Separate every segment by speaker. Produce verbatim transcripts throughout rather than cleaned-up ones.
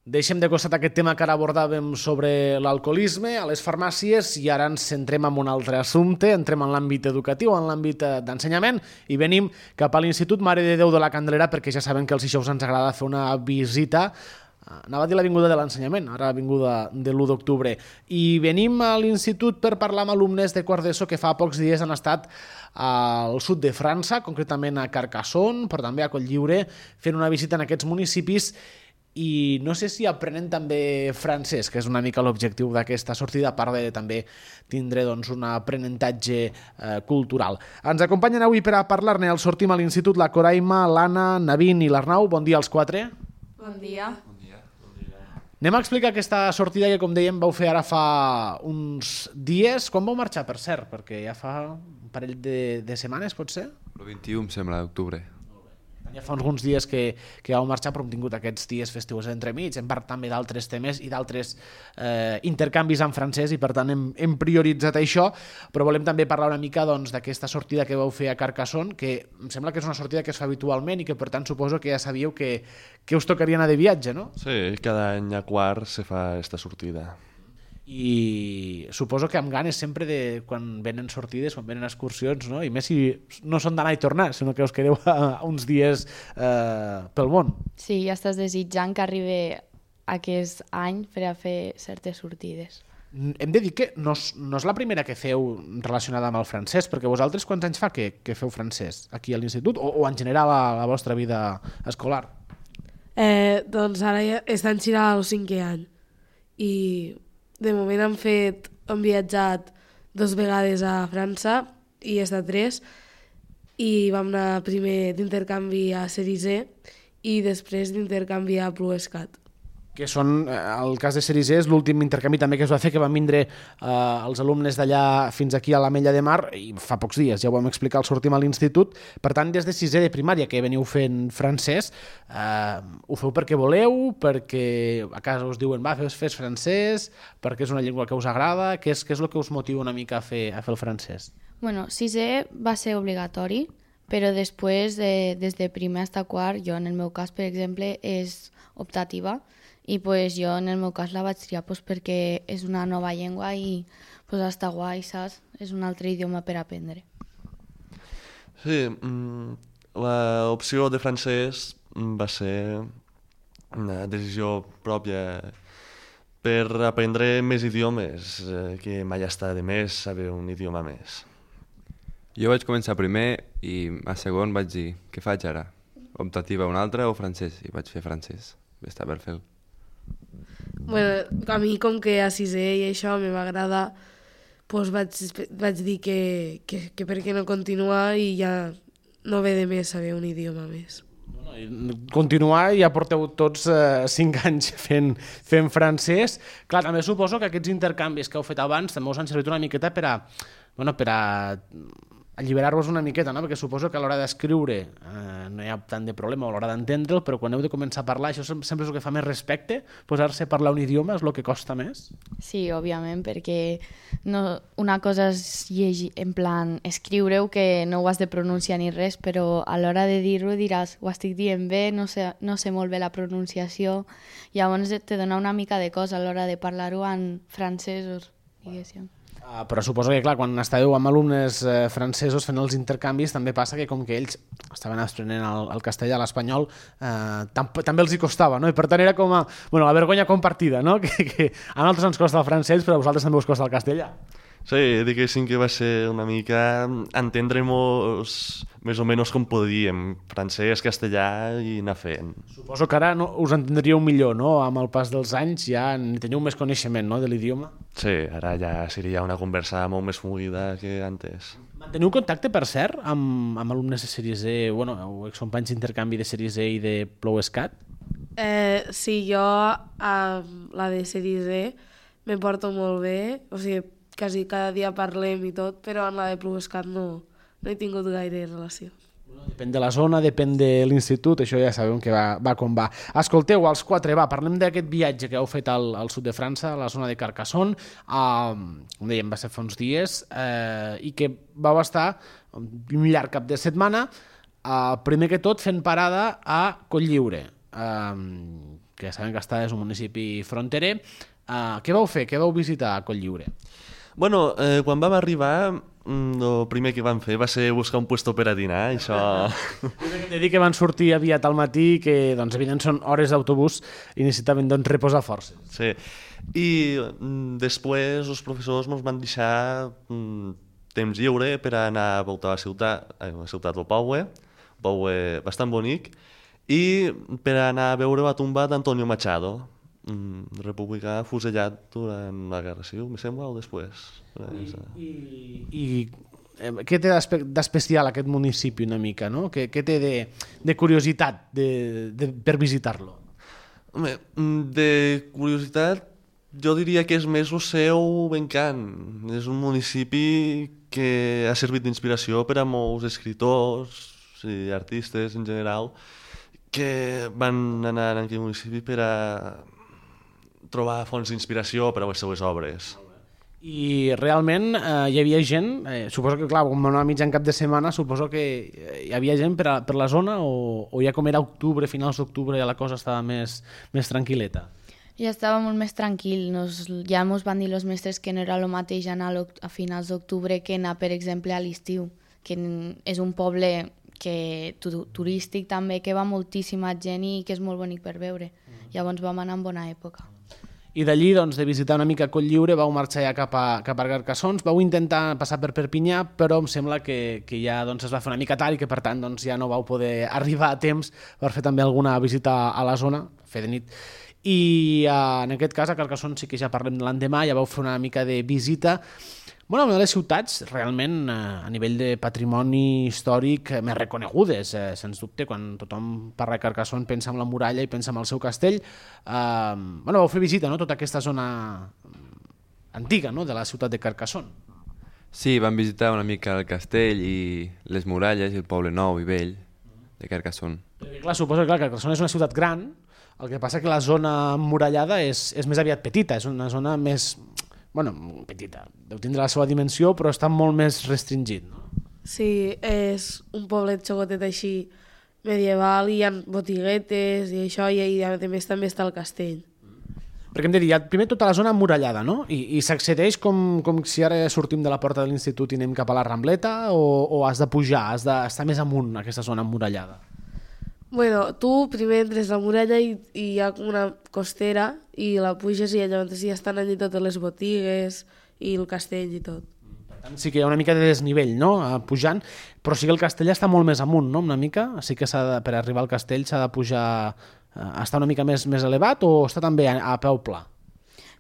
Speaker 1: Deixem de costat aquest tema que ara abordàvem sobre l'alcoholisme a les farmàcies i ara ens centrem en un altre assumpte, entrem en l'àmbit educatiu, en l'àmbit d'ensenyament i venim cap a l'Institut Mare de Déu de la Candelera perquè ja saben que els dijous ens agrada fer una visita, anava a dir l'Avinguda de l'Ensenyament, ara l'Avinguda de l'u d'octubre, i venim a l'Institut per parlar amb alumnes de quart d'ESO que fa pocs dies han estat al sud de França, concretament a Carcassonne, però també a Cotlliure, fent una visita en aquests municipis i no sé si aprenen també francès, que és una mica l'objectiu d'aquesta sortida, a part de també tindre doncs, un aprenentatge eh, cultural. Ens acompanyen avui per a parlar-ne al Sortim a l'Institut la Coraima, l'Anna, Navin i l'Arnau. Bon dia als quatre.
Speaker 2: Bon dia.
Speaker 3: Bon dia. Bon dia.
Speaker 1: Anem a explicar aquesta sortida que, com dèiem, vau fer ara fa uns dies. Quan vau marxar, per cert? Perquè ja fa un parell de, de setmanes, pot ser?
Speaker 3: El vint-i-u, em sembla, d'octubre.
Speaker 1: Ja fa uns dies que, que heu marxat, però hem tingut aquests dies festius entremig, hem parlat també d'altres temes i d'altres eh, intercanvis en francès i per tant hem, hem prioritzat això, però volem també parlar una mica doncs, d'aquesta sortida que vau fer a Carcassonne, que em sembla que és una sortida que es fa habitualment i que per tant suposo que ja sabíeu que, que us tocaria anar de viatge, no?
Speaker 4: Sí, cada any a quart se fa aquesta sortida.
Speaker 1: I suposo que amb ganes sempre de quan venen sortides, quan venen excursions, no? I més si no són d'anar i tornar, sinó que us quedeu a uns dies eh, pel món.
Speaker 2: Sí, ja estàs desitjant que arribi aquest any per a fer certes sortides.
Speaker 1: Hem de dir que no és, no és la primera que feu relacionada amb el francès, perquè vosaltres quants anys fa que, que feu francès aquí a l'institut o, o en general a la vostra vida escolar?
Speaker 5: Eh, doncs ara ja estan xirant al cinquè any i de moment hem fet, hem viatjat dues vegades a França i he estat tres i vam anar primer d'intercanvi a Cerisé i després d'intercanvi a Plouescat.
Speaker 1: Que són, el cas de Cerisé és l'últim intercanvi també que es va fer, que van vindre eh, els alumnes d'allà fins aquí a l'Ametlla de Mar i fa pocs dies, ja ho vam explicar al Sortim a l'institut. Per tant, des de sisè de primària que veniu fent francès, eh, ho feu perquè voleu, perquè a casa us diuen va, fes, fes francès, perquè és una llengua que us agrada, què és, què és el que us motiva una mica a fer, a fer el francès?
Speaker 2: Bueno, sisè va ser obligatori, però després, de, des de primer fins a quart, jo en el meu cas, per exemple, és optativa, i pues, jo en el meu cas la vaig triar pues, perquè és una nova llengua i pues, està guai, saps? És un altre idioma per aprendre.
Speaker 4: Sí, l'opció de francès va ser una decisió pròpia per aprendre més idiomes, que mai està de més saber un idioma més.
Speaker 3: Jo vaig començar primer i a segon vaig dir, què faig ara? Optativa una altra o francès? I vaig fer francès. Està per fer-ho.
Speaker 5: Bueno, a mi com que a sisè i això m'agrada, doncs vaig, vaig dir que, que, que per què no continuar i ja no ve de més saber un idioma més.
Speaker 1: Continuar, ja porteu tots eh, cinc anys fent, fent francès. Clar, també suposo que aquests intercanvis que heu fet abans també us han servit una miqueta per a, bueno, per a alliberar-vos una miqueta, no? Perquè suposo que a l'hora d'escriure eh, no hi ha tant de problema a l'hora d'entendre'l, però quan heu de començar a parlar, això sempre és el que fa més respecte, posar-se a parlar un idioma és el que costa més?
Speaker 2: Sí, òbviament, perquè no, una cosa és llegir, en plan, escriure-ho, que no ho has de pronunciar ni res, però a l'hora de dir-ho diràs, ho estic dient bé, no sé, no sé molt bé la pronunciació, llavors te dona una mica de cosa a l'hora de parlar-ho en francesos, diguéssim.
Speaker 1: Uh, però suposo que, clar, quan estàveu amb alumnes eh, francesos fent els intercanvis, també passa que com que ells estaven aprenent el, el castellà, l'espanyol, eh, tam també els hi costava, no? I per tant era com a, bueno, la vergonya compartida, no? Que, que a nosaltres ens costa el francès, però a vosaltres també us costa el castellà.
Speaker 4: Sí, diguéssim que va ser una mica entendre-mos més o menys com podíem, francès, castellà i anar fent.
Speaker 1: Suposo que ara no, us entendríeu millor, no? Amb el pas dels anys ja teniu més coneixement, no?, de l'idioma.
Speaker 4: Sí, ara ja seria una conversa molt més fluida que antes.
Speaker 1: Manteniu contacte, per cert, amb, amb alumnes de Cerisé, bueno, o excompanys d'intercanvi de Cerisé i de Plouescat?
Speaker 5: Eh, sí, jo amb la de Cerisé me porto molt bé, o sigui, quasi cada dia parlem i tot, però en la de Plouescat no, no he tingut gaire relació.
Speaker 1: Depèn de la zona, depèn de l'institut, això ja sabem que va, va com va. Escolteu, els quatre, va, parlem d'aquest viatge que heu fet al, al sud de França, a la zona de Carcassonne, eh, com dèiem, va ser fa uns dies, eh, i que vau estar un llarg cap de setmana, eh, primer que tot fent parada a Cotlliure. Eh, que sabem que està és un municipi fronterer. Uh, què vau fer? Què vau visitar a Cotlliure?
Speaker 4: Bueno, eh, quan vam arribar, el primer que vam fer va ser buscar un puesto per a dinar, això...
Speaker 1: He de dir que van sortir aviat al matí, que doncs, evident són hores d'autobús i necessitaven doncs, reposar forces.
Speaker 4: Sí, i mm, després els professors ens van deixar mm, temps lliure per anar a voltar a la ciutat, a la ciutat del Poble, un poble bastant bonic, i per anar a veure la tumba d'Antonio Machado, mm, republicà fusellat durant la Guerra Civil, me sembla, o després.
Speaker 1: I, i, i eh, què té d'especial aquest municipi una mica, no? Què, què té de, de curiositat de, de, per visitar-lo?
Speaker 4: Home, de curiositat, jo diria que és més el seu encant. És un municipi que ha servit d'inspiració per a molts escriptors i artistes en general que van anar a aquest municipi per a trobar fonts d'inspiració per a les seues obres.
Speaker 1: I realment eh, hi havia gent, eh, suposo que clar, com anar mig en cap de setmana, suposo que hi havia gent per, a, per la zona o, o ja com era octubre, finals d'octubre, ja la cosa estava més, més tranquil·leta?
Speaker 2: Ja estava molt més tranquil. Nos, ja ens van dir els mestres que no era el mateix anar a finals d'octubre que anar, per exemple, a l'estiu, que és un poble que, tu, turístic també, que va moltíssima gent i que és molt bonic per veure. Llavors vam anar en bona època.
Speaker 1: I d'allí, doncs, de visitar una mica Cotlliure, vau marxar ja cap a, cap a Carcassons, vau intentar passar per Perpinyà, però em sembla que, que ja doncs, es va fer una mica tard i que, per tant, doncs, ja no vau poder arribar a temps per fer també alguna visita a la zona, fer de nit. I uh, en aquest cas, a Carcassons sí que ja parlem de l'endemà, ja vau fer una mica de visita. Bueno, una de les ciutats realment a nivell de patrimoni històric més reconegudes, eh, sens dubte, quan tothom parla de Carcassonne pensa en la muralla i pensa en el seu castell. Eh, bueno, vau fer visita, no?, tota aquesta zona antiga, no?, de la ciutat de Carcassonne.
Speaker 3: Sí, vam visitar una mica el castell i les muralles i el poble nou i vell de Carcassonne.
Speaker 1: Perquè, clar, suposo que clar, Carcassonne és una ciutat gran, el que passa que la zona emmurallada és, és més aviat petita, és una zona més... bueno, petita, deu tindre la seva dimensió, però està molt més restringit, no?
Speaker 5: Sí, és un poblet xocotet així medieval, i hi ha botiguetes i això, i, i a més també està el castell.
Speaker 1: Perquè hem de dir, hi ha primer tota la zona emmurallada, no? I, i s'accedeix com, com si ara sortim de la porta de l'institut i anem cap a la Rambleta, o, o has de pujar, has d'estar més amunt, aquesta zona emmurallada?
Speaker 5: Bueno, tu primer entres a la muralla i, i hi ha una costera i la puges i llavors ja estan allí totes les botigues i el castell i tot.
Speaker 1: Per tant, sí que hi ha una mica de desnivell, no?, pujant, però sí que el castell està molt més amunt, no?, una mica. Sí que s'ha de, per arribar al castell s'ha de pujar, està una mica més, més elevat o està també a, a peu pla?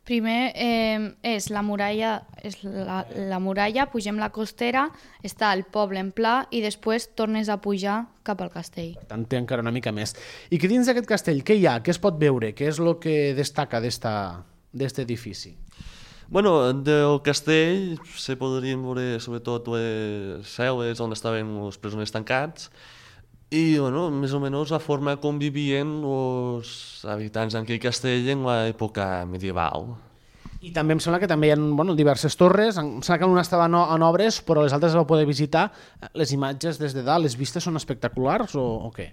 Speaker 2: Primer eh, és la muralla, és la, la muralla, pugem la costera, està el poble en pla i després tornes a pujar cap al castell.
Speaker 1: Per tant, té encara una mica més. I que dins d'aquest castell, què hi ha? Què es pot veure? Què és el que destaca d'aquest edifici?
Speaker 4: Bueno, del castell se podrien veure sobretot les cel·les on estaven els presoners tancats i, bueno, més o menys la forma com vivien els habitants d'aquell castell en l'època medieval.
Speaker 1: I també em sembla que també hi ha, bueno, diverses torres, em sembla que una estava en obres, però les altres vau poder visitar. Les imatges des de dalt, les vistes són espectaculars o, o què?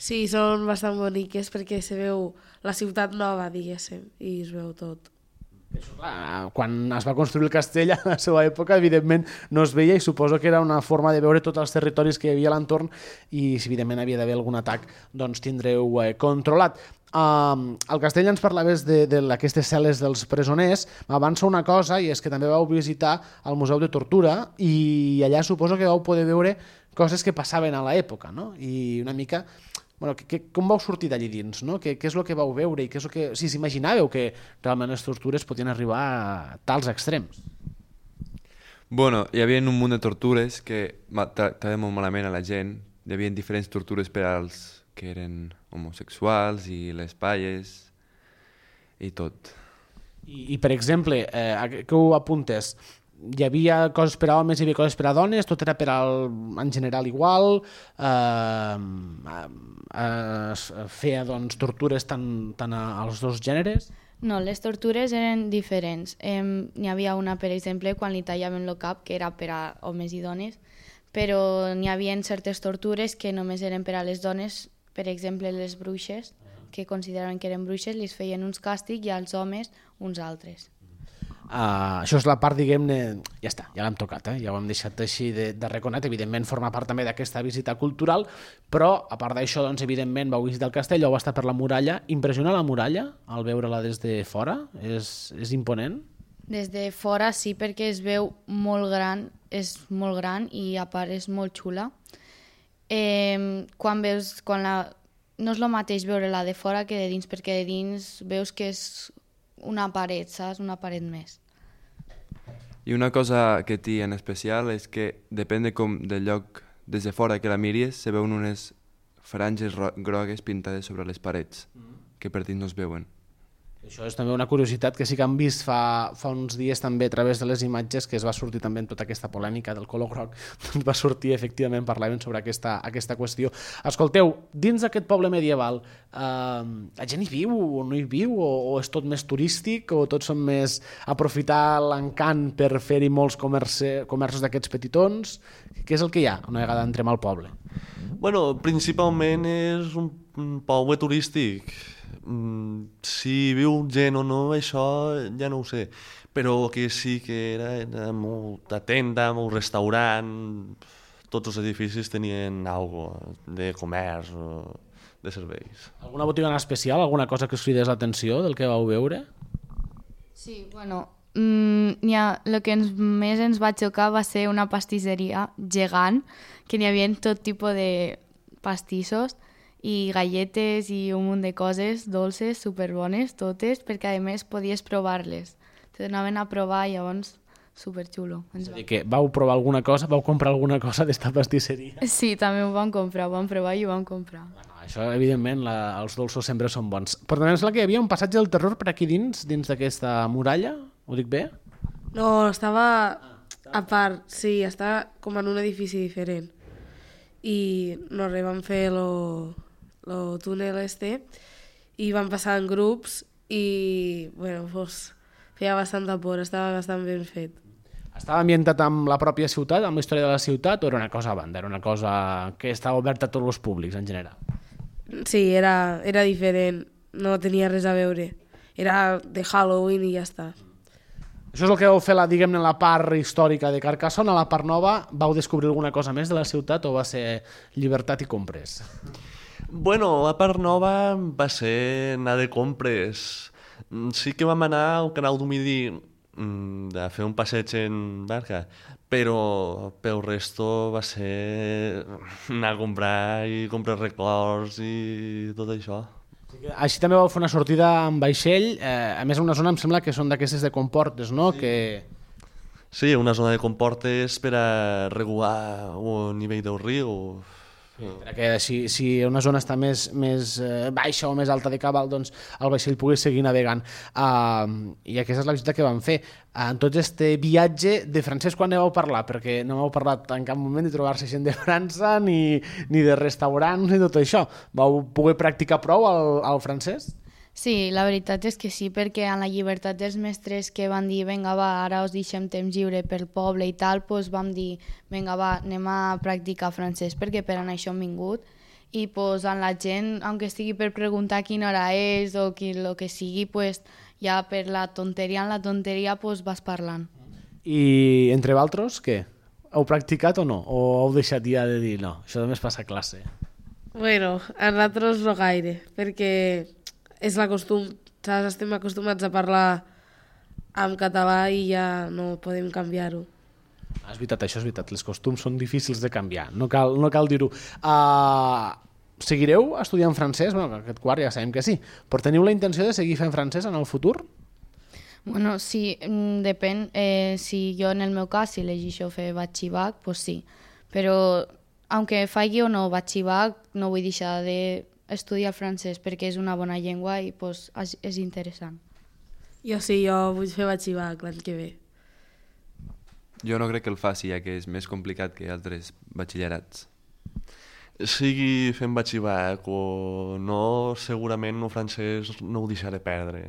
Speaker 5: Sí, són bastant boniques perquè se veu la ciutat nova, diguéssim, i es veu tot.
Speaker 1: Això, clar, quan es va construir el castell a la seva època, evidentment no es veia i suposo que era una forma de veure tots els territoris que hi havia a l'entorn i si evidentment havia d'haver algun atac, doncs tindreu eh, controlat. Uh, al castell ens parlaves d'aquestes cel·les dels presoners. M'avança una cosa i és que també vau visitar el Museu de Tortura i allà suposo que vau poder veure coses que passaven a l'època, no? I una mica... Bueno, que, que, com vau sortir d'allí dins, no? Què, què és el que vau veure i què és el que... Si s'imaginàveu que realment les tortures podien arribar a tals extrems?
Speaker 3: Bueno, hi havia un munt de tortures que tractaven molt malament a la gent. Hi havia diferents tortures per als que eren homosexuals i les palles i tot.
Speaker 1: I, i per exemple, eh, que ho apuntes, hi havia coses per a homes, hi havia coses per a dones, tot era per al, en general igual, eh, es feia doncs, tortures tant, tant als dos gèneres?
Speaker 2: No, les tortures eren diferents. Eh, n'hi havia una, per exemple, quan li tallaven el cap, que era per a homes i dones, però n'hi havia certes tortures que només eren per a les dones, per exemple, les bruixes, que consideraven que eren bruixes li feien uns càstigs i als homes uns altres.
Speaker 1: Uh, això és la part, diguem-ne, ja està, ja l'hem tocat, eh? Ja ho hem deixat així de, de reconet, evidentment forma part també d'aquesta visita cultural, però a part d'això, doncs, evidentment vau visitar el castell, vau estar per la muralla. Impressiona la muralla al veure-la des de fora? És, és imponent?
Speaker 2: Des de fora sí, perquè es veu molt gran, és molt gran i a part és molt xula. Eh, quan veus, quan la... no és el mateix veure-la de fora que de dins, perquè de dins veus que és una paret, saps? Una paret més.
Speaker 3: I una cosa que té en especial és que depèn de com del lloc des de fora que la miris, se veuen unes franges grogues pintades sobre les parets, que per dins no es veuen.
Speaker 1: Això és també una curiositat que sí que han vist fa, fa uns dies també a través de les imatges, que es va sortir també en tota aquesta polèmica del color groc, doncs va sortir, efectivament, parlaven sobre aquesta, aquesta qüestió. Escolteu, dins d'aquest poble medieval, eh, la gent hi viu o no hi viu, o, o és tot més turístic, o tots són més aprofitar l'encant per fer-hi molts comerci, comerços d'aquests petitons? Què és el que hi ha una vegada entrem al poble?
Speaker 4: Bueno, principalment és un, un poble turístic. Si viu gent o no, això ja no ho sé, però que sí que era, era molta tenda, molt restaurant, tots els edificis tenien alguna de comerç o de serveis.
Speaker 1: Alguna botiga en especial, alguna cosa que us cridés l'atenció del que vau veure?
Speaker 2: Sí, bueno, mm, n'hi ha, el que ens, més ens va xocar va ser una pastisseria gegant, que n'hi havia tot tipus de pastissos, i galletes i un munt de coses dolces, superbones, totes, perquè a més podies provar-les. Te donaven a provar i llavors superxulo.
Speaker 1: És a dir, que vau provar alguna cosa, vau comprar alguna cosa d'esta pastisseria?
Speaker 2: Sí, també ho vam comprar, ho vam provar i ho vam comprar.
Speaker 1: Bueno, això, evidentment, la, els dolços sempre són bons. Però també em sembla que hi havia un passatge del terror per aquí dins, dins d'aquesta muralla, ho dic bé?
Speaker 5: No, estava a part, sí, estava com en un edifici diferent. I no res, vam fer lo... el túnel este, i van passar en grups i, bueno, pues, feia bastanta por, estava bastant ben fet.
Speaker 1: Estava ambientat amb la pròpia ciutat, amb la història de la ciutat, o era una cosa a banda, era una cosa que estava oberta a tots els públics en general?
Speaker 5: Sí, era, era diferent, no tenia res a veure. Era de Halloween i ja està.
Speaker 1: Això és el que vau fer, la, diguem-ne, la part històrica de Carcassona. A la part nova vau descobrir alguna cosa més de la ciutat o va ser llibertat i compres?
Speaker 4: Bueno, la part nova va ser anar de compres. Sí que vam anar al canal du Midi a fer un passeig en barca, però pel resto va ser anar a comprar i comprar records i tot això.
Speaker 1: Així també vau fer una sortida amb vaixell, eh, a més una zona em sembla que són d'aquestes de comportes, no? Sí. Que...
Speaker 4: sí, una zona de comportes per a regular el nivell del riu.
Speaker 1: Sí, perquè si, si una zona està més, més eh, baixa o més alta de cabal, doncs el vaixell pugui seguir navegant. Uh, I aquesta és la visita que vam fer. Uh, en tot este viatge, de francès quan ne vau parlar? Perquè no m'heu parlat en cap moment de trobar-se gent de França, ni, ni de restaurants, ni tot això. Vau poder practicar prou el, el francès?
Speaker 2: Sí, la veritat és que sí, perquè en la llibertat dels mestres que van dir vinga va, ara us deixem temps lliure pel poble i tal, doncs vam dir vinga va, anem a practicar francès perquè per això hem vingut i doncs en la gent, aunque estigui per preguntar quina hora és o qui, lo que sigui, doncs ja per la tonteria en la tonteria doncs vas parlant.
Speaker 1: I entre vosaltres, què? Heu practicat o no? O heu deixat ja de dir no, això només passa a classe?
Speaker 5: Bueno, a nosaltres no gaire, perquè és la costum, saps? Estem acostumats a parlar en català i ja no podem canviar-ho.
Speaker 1: És veritat, això és veritat, les costums són difícils de canviar, no cal, no cal dir-ho. Uh, seguireu estudiant francès? Bueno, aquest quart ja sabem que sí, però teniu la intenció de seguir fent francès en el futur?
Speaker 2: Bueno, sí, depèn. Eh, si jo, en el meu cas, si elegeixo fer batxibac, doncs sí. Però, aunque faci o no batxibac, no vull deixar de estudiar francès perquè és una bona llengua i pues, és interessant.
Speaker 5: Jo sí, jo vull fer batxibac l'any que ve.
Speaker 3: Jo no crec que el faci, ja que és més complicat que altres batxillerats.
Speaker 4: Sigui fent batxibac o no, segurament el francès no ho deixaré perdre.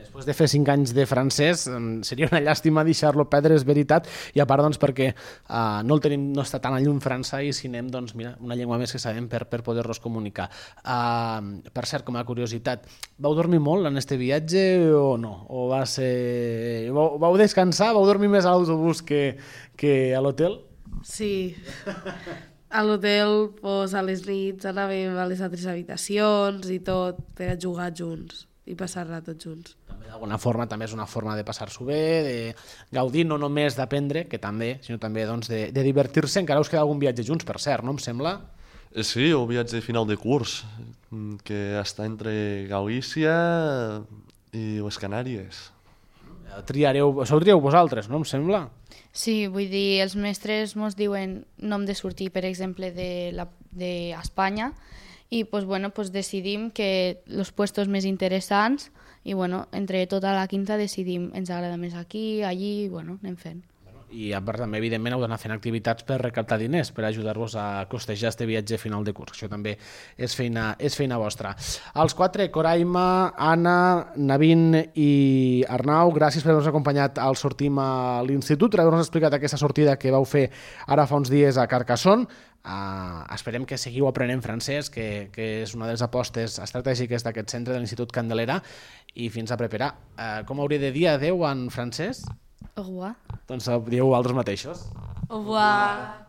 Speaker 1: Després de fer cinc anys de francès, seria una llàstima deixar-lo perdre, és veritat, i a part doncs, perquè uh, no, el tenim, no està tan a llum França i si anem, doncs, mira, una llengua més que sabem per, per poder-nos comunicar. Uh, per cert, com a curiositat, vau dormir molt en este viatge o no? O va ser... Vau, vau descansar? Vau dormir més a l'autobús que, que a l'hotel?
Speaker 5: Sí. A l'hotel, pues, a les nits anàvem a les altres habitacions i tot per a jugar junts i passar-la tots junts.
Speaker 1: També d'alguna forma també és una forma de passar-s'ho bé, de gaudir no només d'aprendre, que també, sinó també doncs, de, de divertir-se. Encara us queda algun viatge junts, per cert, no em sembla?
Speaker 4: Eh, Sí, un viatge final de curs, mm, que està entre Galícia i les Canàries.
Speaker 1: Triareu, sou trieu vosaltres, no em sembla?
Speaker 2: Sí, vull dir, els mestres mos diuen no hem de sortir, per exemple, de la- d'Espanya, i pues, bueno, pues, decidim que els puestos més interessants i bueno, entre tota la quinta decidim ens agrada més aquí, allí, i bueno, anem fent.
Speaker 1: I a part també, evidentment, heu d'anar fent activitats per recaptar diners, per ajudar-vos a costejar este viatge final de curs. Això també és feina, és feina vostra. Els quatre, Coraima, Anna, Navin i Arnau, gràcies per haver-nos acompanyat al Sortim a l'Institut, per haver-nos explicat aquesta sortida que vau fer ara fa uns dies a Carcassonne. Uh, esperem que seguiu aprenent francès, que, que és una de les apostes estratègiques d'aquest centre de l'Institut Candelera, i fins a preparar. Uh, com hauria de dir adeu en francès?
Speaker 2: Au revoir.
Speaker 1: Doncs dieu vosaltres mateixos.
Speaker 5: Au revoir.